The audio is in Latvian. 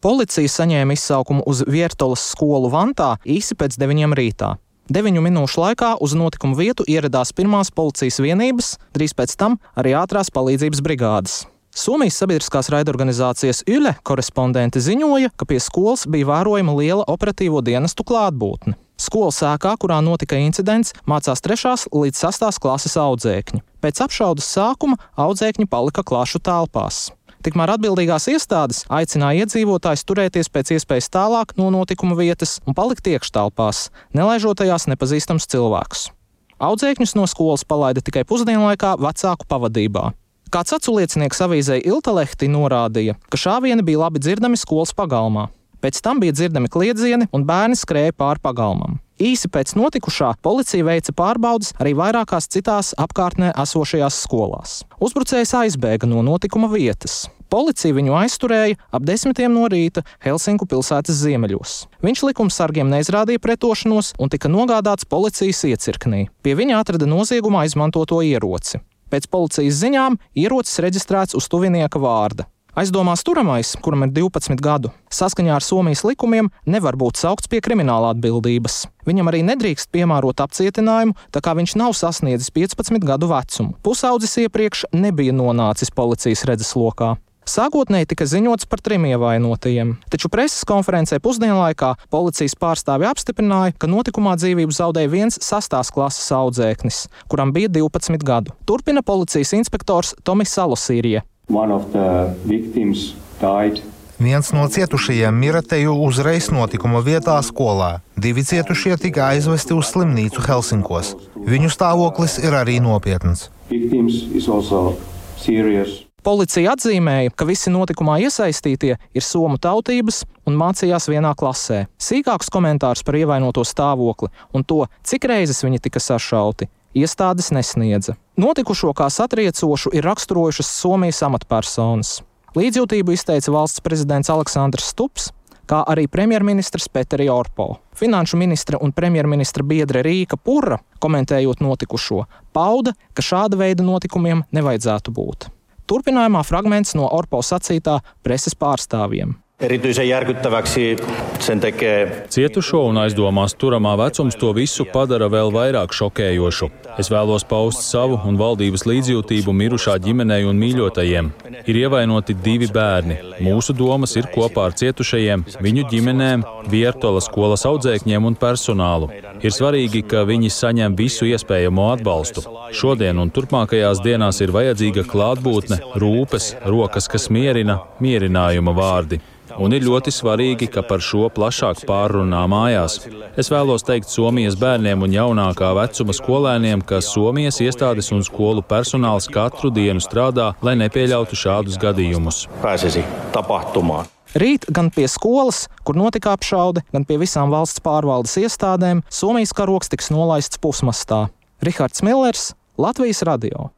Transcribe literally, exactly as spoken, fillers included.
Policija saņēma izsaukumu uz Viertolas skolu Vantā īsi pēc deviņiem rītā. Deviņu minūšu laikā uz notikumu vietu ieradās pirmās policijas vienības, drīz pēc tam arī ātrās palīdzības brigādes. Somijas sabiedriskās raidorganizācijas Yle korespondente ziņoja, ka pie skolas bija vērojama liela operatīvo dienestu klātbūtne. Skolas ēkā, kurā notika incidents, mācās trešās līdz sastās klases audzēkņi. Pēc apšaudes sākuma audzēkņi palika klašu telpās. Tikmēr atbildīgās iestādes aicināja iedzīvotājus turēties pēc iespējas tālāk no notikuma vietas un palikt iekštelpās, nelaižot tajās nepazīstams cilvēks. Audzēkņus no skolas palaida tikai pusdienlaikā vecāku pavadībā. Kāds aculiecinieks avīzei Iltalehti norādīja, ka šāvieni bija labi dzirdami skolas pagalmā. Pēc tam bija dzirdami kliedzieni un bērni skrēja pāri pagalmam. Īsi pēc notikušā policija veica pārbaudes arī vairākās citās apkārtnē esošajās skolās. Uzbrucējs aizbēga no notikuma vietas. Policija viņu aizturēja ap desmitiem no rīta Helsinku pilsētas ziemeļos. Viņš likumsargiem neizrādīja pretošanos un tika nogādāts policijas iecirknī. Pie viņa atrada noziegumā izmantoto ieroci. Pēc policijas ziņām ierocis reģistrēts uz tuvinieka vārda. Aizdomās turamais, kuram ir divpadsmit gadu, saskaņā ar Somijas likumiem nevar būt saukts pie krimināla atbildības. Viņam arī nedrīkst piemērot apcietinājumu, tā kā viņš nav sasniedzis piecpadsmit gadu vecumu. Pusaudzis iepriekš nebija nonācis policijas redzeslokā. Sākotnēji tika ziņots par trim ievainotajiem, taču preses konferencē pusdienlaikā policijas pārstāvi apstiprināja, ka notikumā dzīvību zaudēja viens sastās klases audzēknis, kuram bija divpadsmit gadu. Turpina policijas inspektors Tomis Salosīrie. Viens no cietušajiem mira teju uzreiz notikuma vietā skolā. Divi cietušie tika aizvesti uz slimnīcu Helsinkos. Viņu stāvoklis ir arī nopietns. Policija atzīmēja, ka visi notikumā iesaistītie ir somu tautības un mācījās vienā klasē. Sīkākus komentārus par ievainoto stāvokli un to, cik reizes viņi tika sašauti, iestādes nesniedza. Notikušo kā satriecošu ir raksturojušas Somijas amatpersonas. Līdzjūtību izteica valsts prezidents Aleksandrs Stubs, kā arī premjerministrs Peteri Orpo. Finanšu ministra un premjerministra biedre Rīka Purra, komentējot notikušo, pauda, ka šāda veida notikumiem nevajadzētu būt. Turpinājumā fragments no Orpo sacītā preses pārstāvjiem. Erityisen järkyttäväksi sen tekee. Cietušo un aizdomās turamā vecums to visu padara vēl vairāk šokējošu. Es vēlos paust savu un valdības līdzjūtību mirušā ģimenei un mīļotajiem. Ir ievainoti divi bērni. Mūsu domas ir kopā ar cietušajiem, viņu ģimenēm, Viertolas skolas audzēkņiem un personālu. Ir svarīgi, ka viņi saņem visu iespējamo atbalstu. Šodien un turpmākajās dienās ir vajadzīga klātbūtne, rūpes, rokas, kas mierina, mierinājuma vārdi. Un ir ļoti svarīgi, ka par šo plašāk pārrunā mājās. Es vēlos teikt Somijas bērniem un jaunākā vecuma skolēniem, ka Somijas iestādes un skolu personāls katru dienu strādā, lai nepieļautu šādus gadījumus. Pääsisi tapahtumaan. Rīt gan pie skolas, kur notika apšaude, gan pie visām valsts pārvaldes iestādēm Somijas karogs tiks nolaists pusmastā. Rihards Millers, Latvijas radio.